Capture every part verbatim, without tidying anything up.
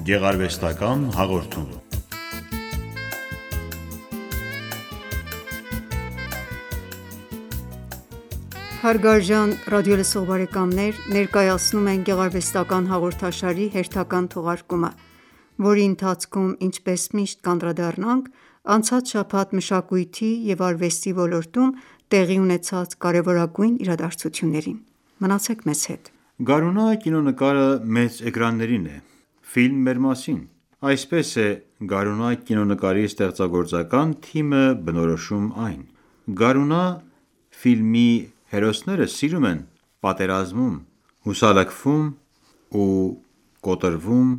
Գեղարվեստական հաղորդում։ Հարգարժան ռադիոլսող բարեկամներ, ներկայացնում ենք գեղարվեստական հաղորդաշարի հերթական թողարկումը, որի ընթացքում ինչպես միշտ կանդրադառնանք անցած շաբաթ մշակույթի և արվեստի ոլորտում տեղի ունեցած կարևորագույն իրադարձություններին: Մնացեք մեզ հետ: Գարունա կինոնկարը մեծ էկրաններին է: Ֆիլմ մեր մասին: Այսպես է «Գարունա» կինոնկարի ստեղծագործական թիմը բնորոշում այն: Գարունա ֆիլմի հերոսները սիրում են պատերազմում, հուսալքվում ու կոտրվում,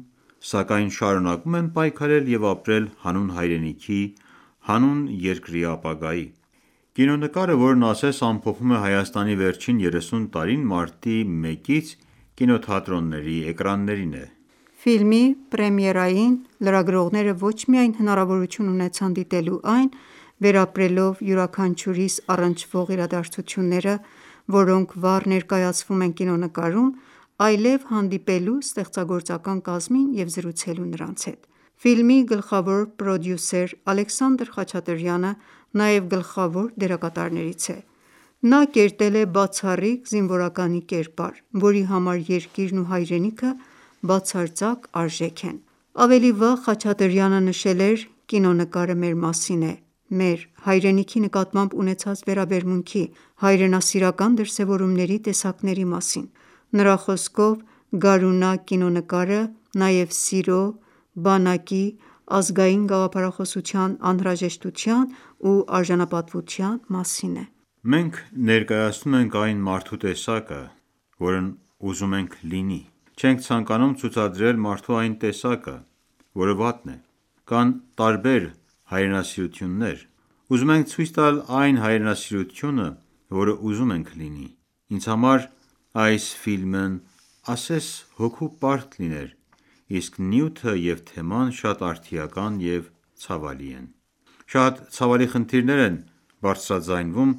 սակայն շարունակում են պայքարել և ապրել հանուն հայրենիքի, հանուն երկրի ապագայի: Կինոնկարը, որն ասես ամփոփում է Հայաստանի վերջին երեսուն տարին, մարտի մեկից կինոթատրոնների էկրաններին է: Ֆիլմի պրեմիերային լրագրողները ոչ միայն հնարավորություն ունեցան դիտելու այն, վերապրելով յուրաքանչյուրիս առնչվող իրադարձությունները, որոնք վառ ներկայացվում են կինոնկարում, այլև հանդիպելու ստեղծագործական կազմին և զրուցելու նրանց հետ: Ֆիլմի գլխավոր պրոդյուսեր Ալեքսանդր Խաչատրյանը նաև գլխավոր դերակատարներից է: Նա կերտել է բացառիկ զինվորականի կերպար, որի համար երկիրն ու հայրենիքը բացարձակ արժեք են: Ավելի վաղ Խաչատրյանը նշել էր.«Կինոնկարը մեր մասին է, մեր հայրենիքի նկատմամբ ունեցած վերաբերմունքի, հայրենասիրական դրսևորումների տեսակների մասին»: Նրա խոսքով «Գարունա» կինոնկարը նաև սիրո, բանակի, ազգային գաղափարախոսության անհրաժեշտության ու արժանապատվության մասին է: «Մենք ներկայացնում ենք այն մարդու տեսակը, որն ուզում ենք լինի: Չենք ցանկանում ցուցադրել մարդու այն տեսակը, որը վատն է: Կան տարբեր հայրենասիրություններ: Ուզում ենք ցույց տալ այն հայրենասիրությունը, որը ուզում ենք լինի: Ինձ համար այս ֆիլմն ասես հոգու պարկ լիներ, իսկ նյութը և թեման շատ արդիական և ցավալի են: Շատ ցավալի խնդիրներ են բարձրաձայնվում,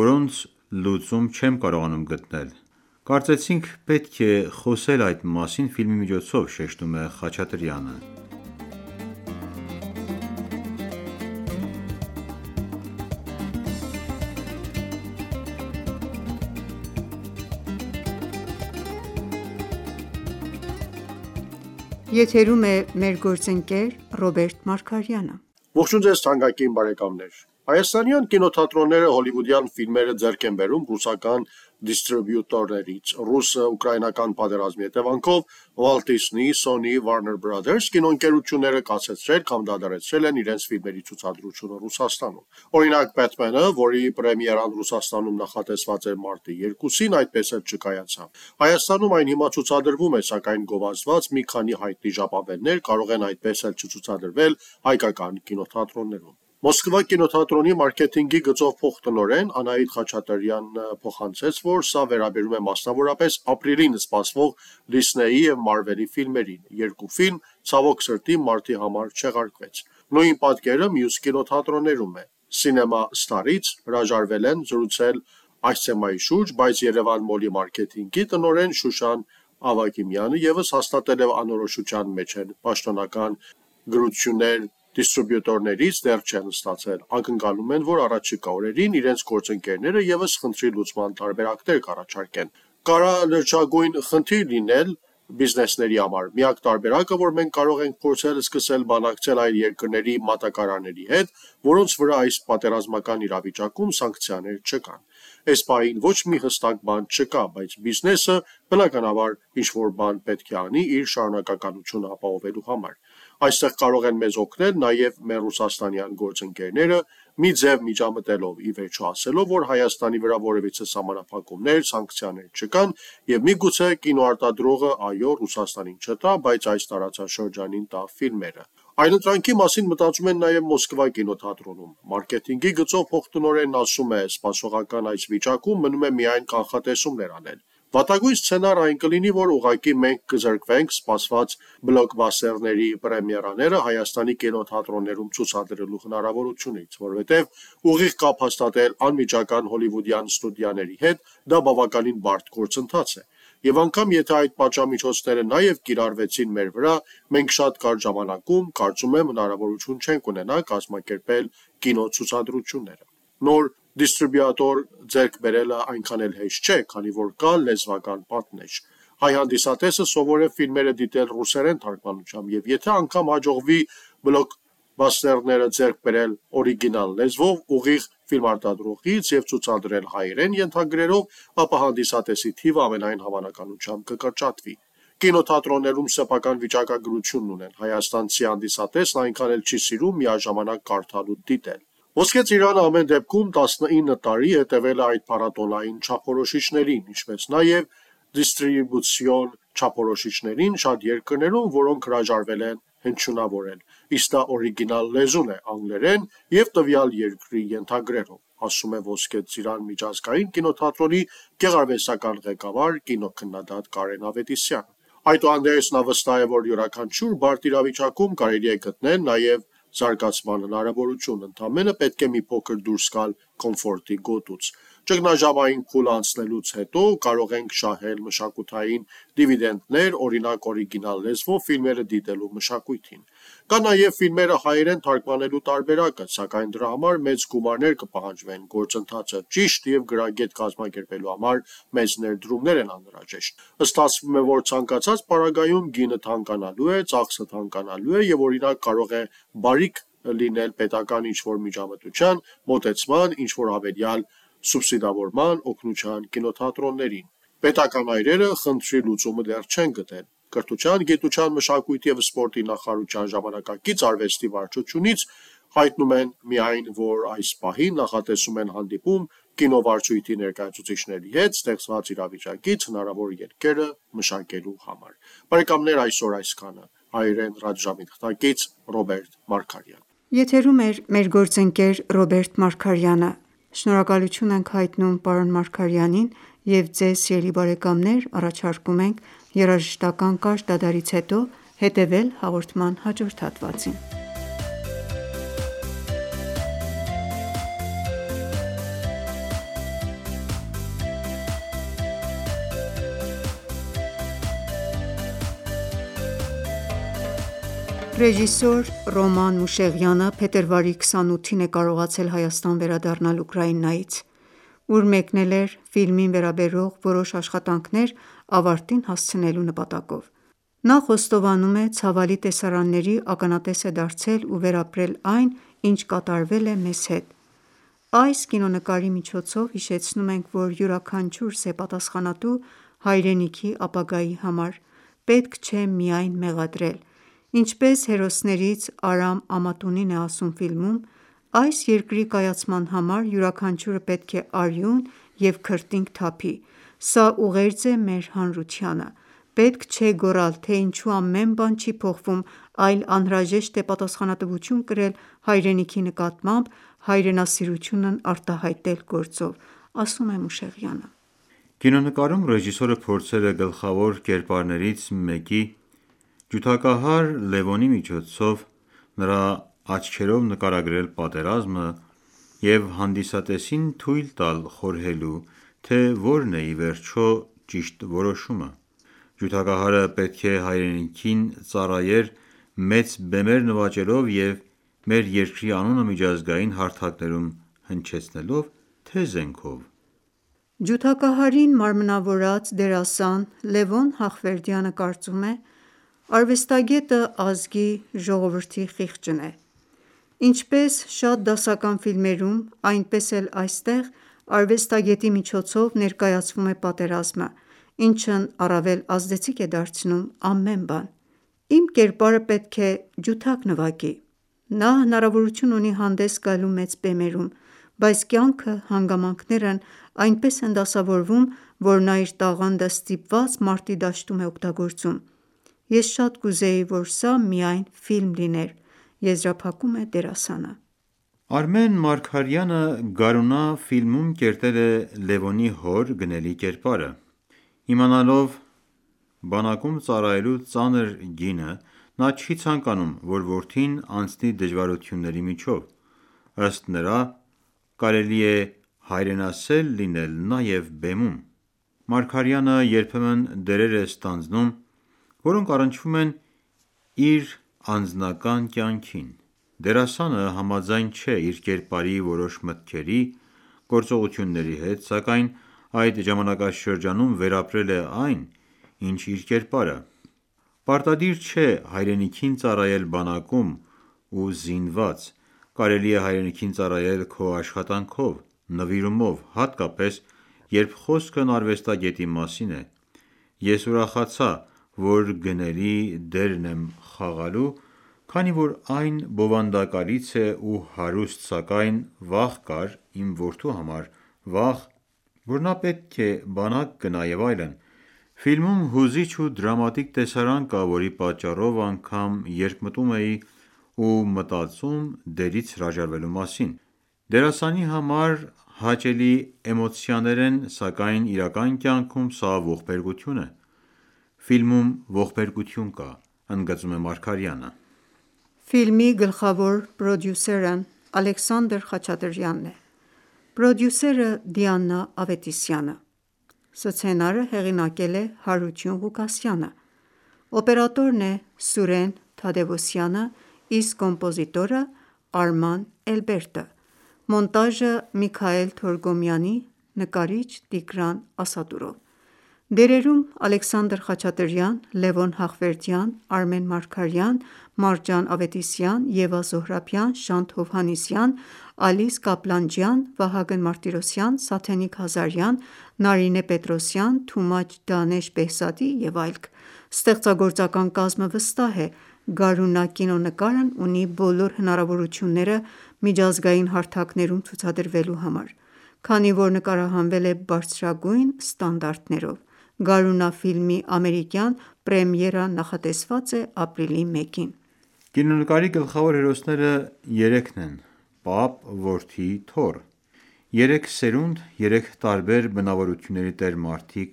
որոնց լուծում չեմ կարողանում գտնել: Կարծեցինք պետք է խոսել այդ մասին ֆիլմի միջոցով»,- շեշտում է Խաչատրյանը: Եթերում է մեր գործընկեր Ռոբերտ Մարգարյանը: Ողջույն ձեզ թանկագին բարեկամներ: Հայաստանյան կինոթատրոնները հոլիվուդյան ֆիլմերը ձեռք են բերում ռուսական դիստրիբյուտորներից: Ռուս-ուկրաինական պատերազմի հետևանքով Walt Disney, Sony, Warner Brothers կինոընկերությունները կասեցրել կամ դադարեցրել են իրենց ֆիլմերի ցուցադրությունը Ռուսաստանում: Օրինակ Batman-ը, որի պրեմիերան Ռուսաստանում նախատեսված էր մարտի երկուսին, այդպես էլ չկայացավ: Հայաստանում այն հիմա ցուցադրվում է, սակայն գովազդված մի քանի հայտնի ժապավեններ կարող են այդպես էլ չցուցադրվել հայկական կինոթատրոններում: Մոսկվա կինոթատրոնի մարքեթինգի գծով փոխտնօրեն Անահիտ Խաչատրյանն փոխանցեց, որ սա վերաբերում է մասնավորապես ապրիլին սպասվող Դիսնեյի և Մարվելի ֆիլմերին: Երկու ֆիլմ, ցավոք սրտի, մարտի համար չեղարկվեց: Նույն պատկերը մյուս կինոթատրոններում է: Cinema Star-ից հրաժարվել են զրուցել այս թեմայի շուրջ, բայց Երևան Մոլի մարքեթինգի տնօրեն Շուշան Ավագիմյանը ևս հաստատել է անորոշության մեջ են: Պաշտոնական գրություններ դիստրիբյուտորներից դեռ չեն ստացել: Ակնկալում են, որ առաջիկա օրերին իրենց գործընկերները ևս խնդրի լուծման տարբերակներ կառաջարկեն: Կարա-լրջագույն խնդիր լինել բիզնեսների համար: Միակ տարբերակը, որ մենք կարող ենք փորձել սկսել բանակցել այլ երկրների մատակարարների հետ, որոնց վրա այս պատերազմական իրավիճակում սանկցիաներ չկան: Էս պահին ոչ մի հստակ բան չկա, բայց բիզնեսը բնականաբար ինչ-որ բան պետք է անի իր շարունակականությունը ապահովելու համար: Այստեղ կարող են մեզ օգնել նաև մեր ռուսաստանյան գործընկերները, մի ձև միջամտելով, ի վերջո ասելով, որ Հայաստանի վրա որևիցե սահմանափակումներ, սանկցիաներ չկան և միգուցե կինոարտադրողը այո Ռուսաստանին չտա, բայց այս տարածաշրջանին տա ֆիլմերը: Այլընտրանքի մասին մտածում են նաև Մոսկվա կինոթատրոնում: Մարքեթինգի գծով փոխտնօրենն ասում է. «Սպասողական այս վիճակում մնում է միայն կանխատեսումներ անել: Վատագույն սցենարը այն կլինի, որ ուղղակի մենք կզրկվենք սպասված բլոքբասթերների պրեմիերաները Հայաստանի կինոթատրոններում ցուցադրելու հնարավորությունից: Որովհետև ուղիղ կապ հաստատել անմիջական հոլիվուդյան ստուդիաների հետ դա բավականին բարդ գործընթաց է: Եվ անգամ եթե այդ պատժամիջոցները նաև կիրառվեցին մեր վրա, մենք շատ կարճ ժամանակում, կարծում եմ, հնարավորություն չենք ունենա կազմակերպել կինոցուցադրությունները։ Նոր դիստրիբյուտոր ձեռք բերելը այնքան էլ հեշտ չէ, քանի որ կա լեզվական պատնեշ։ Հայ հանդիսատեսը սովոր է ֆիլմերը դիտել ռուսերեն թարգմանությամբ, եւ եթե անգամ հաջողվի բլոկբասթերները ձեռք բերել օրիգինալ լեզվով, ուղիղ ֆիլմարտադրողից եւ ցուցադրել հայերեն ենթագրերով, ապա հանդիսատեսի թիվը ամենայն հավանականությամբ կկրճատվի։ Կինոթատրոններում սեփական վիճակագրությունն ունեն, հայաստանցի հանդիսատեսն այնքան էլ չի սիրում միաժամանակ կարդալ ու դիտել։ Ոսկե ծիրանը ամեն դեպքում տասնինը տարի հետևել է այդ փառատոնային չափորոշիչներին, ինչպես նաև դիստրիբուցիոն չափորոշիչներին շատ երկրներում, որոնք հրաժարվել են հնչյունավորել, իսկ դա օրիգինալ լեզուն է անգլերեն եւ տվյալ երկրի ենթագրերով, ասում է Ոսկե ծիրան միջազգային կինոթատրոնի գեղարվեստական ղեկավար կինոքննադատ Կարեն Ավետիսյանը։ Այդուհանդերձ նա վստահ է, որ յուրաքանչյուր բարդ իրավիճակում կարելի է գտնել նաև զարգացման հնարավորություն, ընդամենը պետք է մի փոքր դուրս գալ կոմֆորտի գոտուց։ Ճգնաժամային փուլ անցնելուց հետո կարող ենք շահել մշակութային դիվիդենդներ, օրինակ օրիգինալ լեզվով ֆիլմերը դիտելու մշակույթին։ Կա նաև ֆիլմերը հայերեն թարգմանելու տարբերակը, սակայն դրա համար մեծ գումարներ կպահանջվեն, գործընթացը ճիշտ եւ գրագետ կազմակերպելու համար մեծ ներդրումներ են անհրաժեշտ։ Ստացվում է, որ ցանկացած պարագայում գինը թանկանալու է, ծախսը թանկանալու է եւ օրինակ կարող է բարիք լինել պետական ինչ-որ միջամտության, մոտեցման, ինչ-որ հավելյալ սուբսիդավորման, օգնության կինոթատրոններին։ Պետական այրերը խնդրի լուծումը դեռ չեն գտել։ Կրթության, գիտության, մշակույթի եւ սպորտի նախարարության ժամանակակից արվեստի վարչությունից հայտնում են միայն, որ այս պահին նախատեսում են հանդիպում կինովարչույթի ներկայացուցիչների հետ ստեղծված իրավիճակից հնարավոր ելքերը մշակելու համար։ Բարեկամներ, այսօր այսքանը։ Հայերեն ռադիոժամի թղթակից Ռոբերտ Մարգարյան։ Եթերում էր մեր գործընկեր Ռոբերտ Մարգարյանը։ Շնորհակալություն ենք հայտնում պարոն Մարգարյանին եւ ձեզ, սիրելի բարեկամներ, առաջարկում ենք երաժշտական կարճ դադարից հետո հետեւել հաղորդման հաջորդ հատվածին։ Ռեժիսոր Ռոման Մուշեղյանը փետրվարի քսանութին է կարողացել Հայաստան վերադառնալ Ուկրաինայից, ուր մեկնել էր ֆիլմին վերաբերող որոշ աշխատանքներ ավարտին հասցնելու նպատակով։ Նա խոստովանում է ցավալի տեսարանների ականատես է դարձել ու վերապրել այն, ինչ կատարվել է մեզ հետ։ Այս կինոնկարի միջոցով հիշեցնում ենք, որ յուրաքանչյուր սեպատասխանատու հայրենիքի ապագայի համար պետք չէ միայն մեղադրել։ Ինչպես հերոսներից Արամ Ամատունին է ասում ֆիլմում, այս երկրի կայացման համար յուրաքանչյուրը պետք է արյուն և քրտինք թափի։ Սա ուղերձ է մեր հանրությանը։ Պետք չէ գոռալ, թե ինչու ամեն բան չի փոխվում, այլ անհրաժեշտ է պատասխանատվություն կրել հայրենիքի նկատմամբ, հայրենասիրությունն արտահայտել գործով, ասում է Մուշեղյանը։ Կինոնկարում ռեժիսորը փորձել է գլխավոր կերպարներից մեկի՝ ջութակահար Լևոնի միջոցով նրա աչքերով նկարագրել պատերազմը և հանդիսատեսին թույլ տալ խորհելու, թե որն է ի վերջո ճիշտ որոշումը։ Ջութակահարը պետք է հայրենիքին ծառայեր մեծ բեմեր նվաճելով և մեր երկրի անունը միջազգային հարթակներում հնչեցնելով, թե զենքով։ Ջութակահարին մարմնավորած դերասան Լևոն Հախվերդյանը կարծում է. «Արվեստագետը ազգի, ժողովրդի խիղճն է։ Ինչպես շատ դասական ֆիլմերում, այնպես էլ այստեղ արվեստագետի միջոցով ներկայացվում է պատերազմը, ինչն առավել ազդեցիկ է դարձնում ամեն բան։ Իմ կերպարը պետք է ջութակ նվագի։ Նա հնարավորություն ունի հանդես գալու մեծ բեմերում, բայց կյանքը, հանգամանքներն այնպես են դասավորվում, որ նա իր տաղանդը ստիպված մարտի դաշտում է օգտագործում։ Ես շատ կուզեի, որ սա միայն ֆիլմ լիներ», եզրափակում է դերասանը։ Արմեն Մարգարյանը «Գարունա» ֆիլմում կերտել է Լևոնի հոր գնելի կերպարը։ Իմանալով բանակում ծառայելու ծանր գինը, նա չի ցանկանում, որ որդին անցնի դժվարությունների միջով։ Ըստ նրա, կարելի է հայրենասեր լինել նաև բեմում։ Մարգարյանը երբեմն դերեր է ստանձնում, որոնք առնչվում են իր անձնական կյանքին: Դերասանը համաձայն չէ իր կերպարի որոշ մտքերի, գործողությունների հետ, սակայն այդ ժամանակաշրջանում վերապրել է այն, ինչ իր կերպարը: Պարտադիր չէ հայրենիքին ծառայել բանակում ու զինված, կարելի է հայրենիքին ծառայել քո աշխատանքով, նվիրումով, հատկապես, երբ խոսքն արվեստագետի մասին է: Ես ուրախացա, որ գնելի դերն եմ խաղալու, քանի որ այն բովանդակալից է ու հարուստ, սակայն վախ կար իմ որդու համար, վախ, որ նա պետք է բանակ գնա և այլն: Ֆիլմում հուզիչ ու դրամատիկ տեսարան կա, որի պատճառով անգամ երբ մտում էի ու մտածում դերից հրաժարվելու մասին: Դերասանի համար հաճելի էմոցիաներ են, սակայն իրական կյանքում սա ողբերգություն է: Ֆիլմում ողբերգություն կա, ընդգծում է Մարգարյանը: Ֆիլմի գլխավոր պրոդյուսերն Ալեքսանդր Խաչատրյանն է, պրոդյուսերը Դիանա Ավետիսյանը: Սցենարը հեղինակել է Հարություն Ղուկասյանը, օպերատորն է Սուրեն Թադևոսյանը, իսկ կոմպոզիտորը Արման Էլբերտը, մոնտաժը Միքայել Թորգոմյանի, նկարիչ Տիգրան Ասատուրով: Դերերում Ալեքսանդր Խաչատրյան, Լևոն Հախվերդյան, Արմեն Մարգարյան, Մարջան Ավետիսյան, Եվա Զոհրաբյան, Շանթ Հովհաննիսյան, Ալիս Կապլանջյան, Վահագն Մարտիրոսյան, Սաթենիկ Ղազարյան, Նարինե Պետրոսյան, Թումաչ Դանեշ Բեհզադի և այլք: Ստեղծագործական կազմը վստահ է «Գարունակ» կինոնկարն ունի բոլոր հնարավորությունները միջազգային հարթակներում ցուցադրվելու համար, քանի որ նկարահանվել է բարձրագույն ստանդարտներով: «Գարունակ» ֆիլմի ամերիկյան պրեմիերան նախատեսված է ապրիլի մեկին: Կինոնկարի գլխավոր հերոսները երեքն են՝ պապ, որդի, թոռ: Երեք սերունդ, երեք տարբեր բնավորությունների տեր մարդիկ,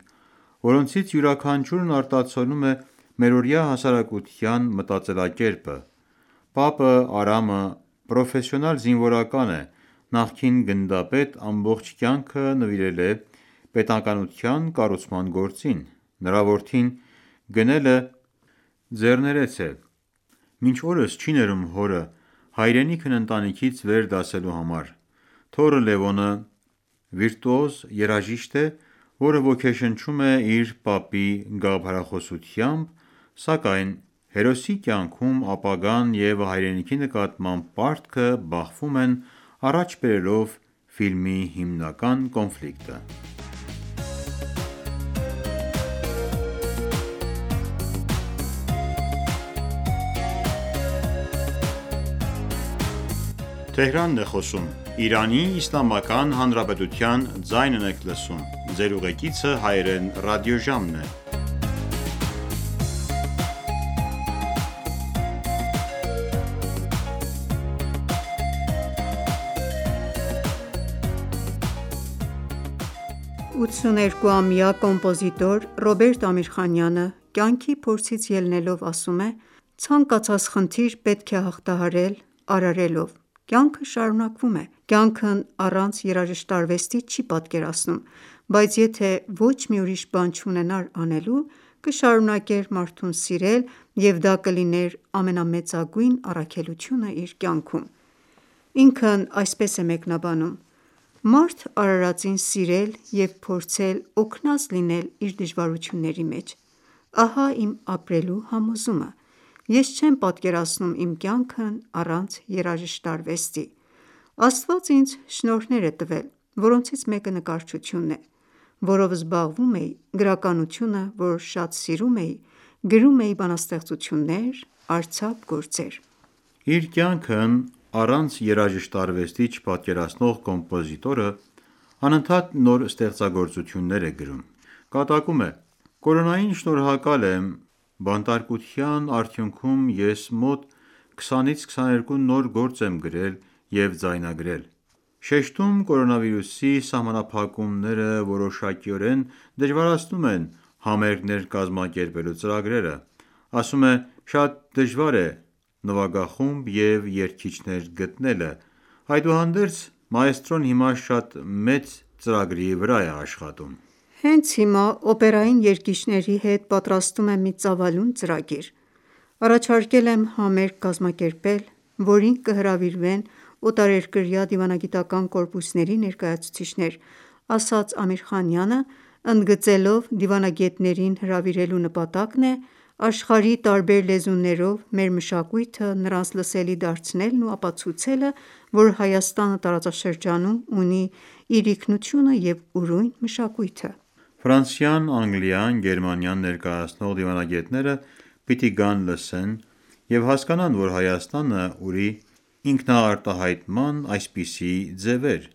որոնցից յուրաքանչյուրն արտացոլում է մերօրյա հասարակության մտածելակերպը: Պապը՝ Արամը, պրոֆեսիոնալ զինվորական է, նախկին գնդապետ, ամբողջ կյանքը նվիրել է պետականության կառուցման գործին: Նրա որդին գնելը ձեռներեց է, մինչ օրս չի ներում հորը հայրենիքն ընտանիքից վեր դասելու համար: Թոռը Լևոնը վիրտուոզ երաժիշտ է, որը ոգեշնչում է իր պապի գաղափարախոսությամբ, սակայն հերոսի կյանքում ապագան և հայրենիքի նկատմամբ պարտքը բախվում են, առաջ բերելով ֆիլմի հիմնական կոնֆլիկտը: ութսուներկուամյա կոմպոզիտոր Ռոբերտ Ամիրխանյանը կյանքի փորձից ելնելով ասում է. «Ցանկացած խնդիր պետք է հաղթահարել արարելով: Կյանքը շարունակվում է: Կյանքն առանց երաժշտարվեստի չի պատկերացնում, բայց եթե ոչ մի ուրիշ բան չունենար անելու, կշարունակեր մարդուն սիրել և դա կլիներ ամենամեծագույն առաքելությունը իր կյանքում»: Ինքն այսպես է մեկնաբանում. «Մարդ արարածին սիրել և փորձել օգնած լինել իր դժվարությունների մեջ: Ահա իմ ապրելու համոզումը: Ես չեմ պատկերացնում իմ կյանքն առանց երաժշտարվեստի: Աստված ինձ շնորհներ է տվել, որոնցից մեկը նկարչությունն է, որով զբաղվում էի, գրականությունը, որ շատ սիրում էի, գրում էի բանաստեղծություններ, արձակ գործեր»: Իր կյանքն առանց երաժշտարվեստի չպատկերացնող կոմպոզիտորը անընդհատ նոր ստեղծագործություններ է գրում: Կատակում է. «Կորոնային շնորհակալ եմ, բանտարկության արդյունքում ես մոտ քսանից քսաներկու նոր գործ եմ գրել և ձայնագրել: Շեշտում կորոնավիրուսի սահմանափակումները որոշակիորեն դժվարացնում են համերգներ կազմակերպելու ծրագրերը: Ասում է. «Շատ դժվար է նվագախումբ և երգիչներ գտնելը: Այդուհանդերձ մաեստրոն հիմա շատ մեծ ծրագրի վրա է աշխատում»: Հենց հիմա օպերային երգիչների հետ պատրաստում եմ մի ծավալուն ծրագիր: Առաջարկել եմ համերգ կազմակերպել, որին կհրավիրվեն օտարերկրյա դիվանագիտական կորպուսների ներկայացուցիչներ, ասաց Ամիրխանյանը, ընդգծելով դիվանագետներին հրավիրելու նպատակն է աշխարհի տարբեր լեզուներով մեր մշակույթը նրանց լսելի դարձնելն ու ապացուցելը, որ Հայաստանը տարածաշրջանում ունի իր ինքնությունը և ուրույն մշակույթը: Ֆրանսիան, Անգլիան, Գերմանիան ներկայացնող դիվանագետները պիտի գան լսեն և հասկանան, որ Հայաստանը ունի ինքնարտահայտման այսպիսի ձևեր: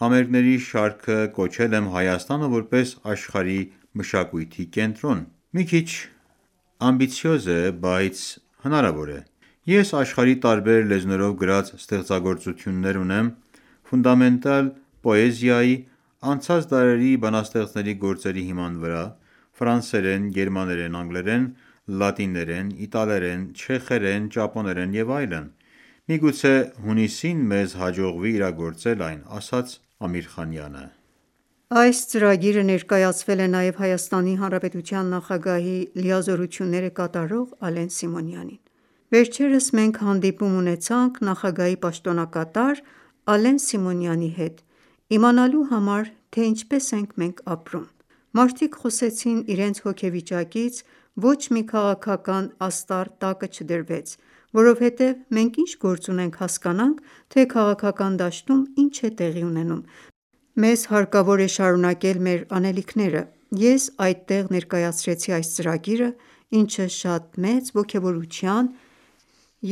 Համերգների շարքը կոչել եմ Հայաստանը որպես աշխարհի մշակույթի կենտրոն: Մի քիչ ամբիցիոզ է, բայց հնարավոր է: Ես աշխարհի տարբեր լեզուներով գրած ստեղծագործություններ ունեմ ֆունդամենտալ պոեզիայի, անցած դարերի բանաստեղծների գործերի հիման վրա, ֆրանսերեն, գերմաներեն, անգլերեն, լատիներեն, իտալերեն, չեխերեն, ճապոներեն և այլն: Միգուցե հունիսին մեզ հաջողվի իրագործել այն, ասաց Ամիրխանյանը: Այս ծրագիրը ներկայացվել է նաև Հայաստանի Հանրապետության նախագահի լիազորությունները կատարող Ալեն Սիմոնյանին: Վերջերս մենք հանդիպում ունեցանք նախագահի պաշտոնակատար Ալեն Սիմոնյանի հետ, իմանալու համար, թե ինչպես ենք մենք ապրում: Մարդիկ խոսեցին իրենց հոգեվիճակից, ոչ մի քաղաքական աստառ տակը չդրվեց, որովհետև մենք ինչ գործ ունենք հասկանանք, թե քաղաքական դաշտում ինչ է տեղի ունենում: Մեզ հարկավոր է շարունակել մեր անելիքները: Ես այդտեղ ներկայացրեցի այս ծրագիրը, ինչը շատ մեծ ոգևորության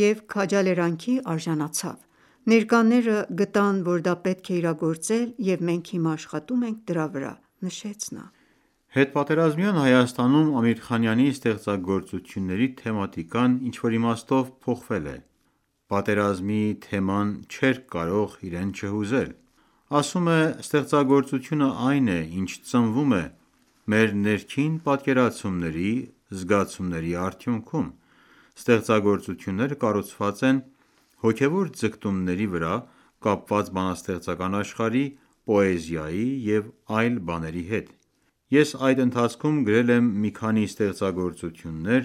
և քաջալերանքի արժանացավ: Ներկաները գտան, որ դա պետք է իրագործել և մենք հիմա աշխատում ենք դրա վրա: Հետպատերազմյան Հայաստանում Ամիրխանյանի ստեղծագործությունների թեմատիկան ինչ-որ իմաստով փոխվել է: Պատերազմի թեման չէր կարող իրեն չհուզել: Ասում է ստեղծագործությունը այն է, ինչ ծնվում է մեր ներքին պատկերացումների, զգացումների արդյունքում: Ստեղծագործությունները կառուցված են հոգևոր ձգտումների վրա կապված բանաստեղծական աշխարհի, պոեզիայի և այլ բաների հետ: Ես այդ ընթացքում գրել եմ մի քանի ստեղծագործություններ,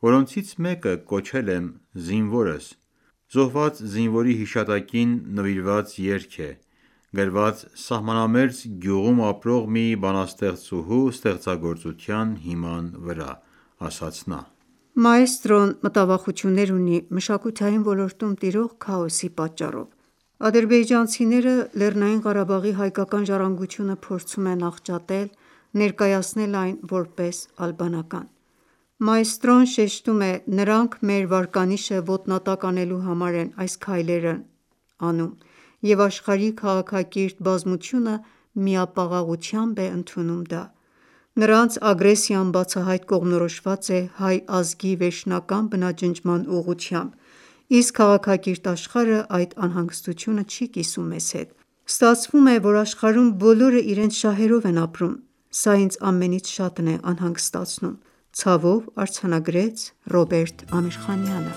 որոնցից մեկը կոչել եմ «Զինվորս»: Զոհված զինվորի հիշատակին նվիրված երգ է, գրված սահմանամերձ գյուղում ապրող մի բանաստեղծուհու ստեղծագործության հիման վրա, ասաց նա: Մաэստրոն մտավախություններ ունի մշակութային ոլորտում տիրող քաոսի պատճառով: Ադրբեջանցիները Լեռնային Ղարաբաղի հայկական ժառանգությունը փորձում են աղճատել, ներկայացնել այն որպես ալբանական: Մաэստրոն շեշտում է նրանք մեր վարկանիշը ոտնատակ անելու համար են այս քայլերն անում և աշխարհի քաղաքակիրթ բազմությունը միապաղաղությամբ է ընդունում դա: Նրանց ագրեսիան բացահայտ կողմնորոշված է հայ ազգի վերջնական բնաջնջման ուղղությամբ, իսկ քաղաքակիրթ աշխարհը այդ անհանգստությունը չի կիսում մեզ հետ: Ստացվում է, որ աշխարհում բոլորը իրենց շահերով են ապրում: Սա ինձ ամենից շատն է անհանգստացնում: Ցավով արձանագրեց Ռոբերտ Ամիրխանյանը: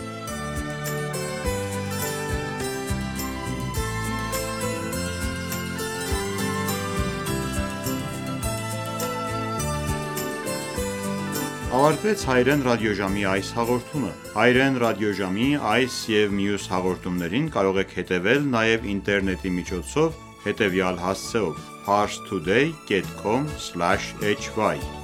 Ավարտվեց հայրեն ռադիոժամի այս հաղորդումը: Հայրեն ռադիոժամի այս և մյուս հաղորդումներին կարող եք հետևել նաև ինտերնետի միջոցով հետևյալ հասցեով՝ parstoday.com/hy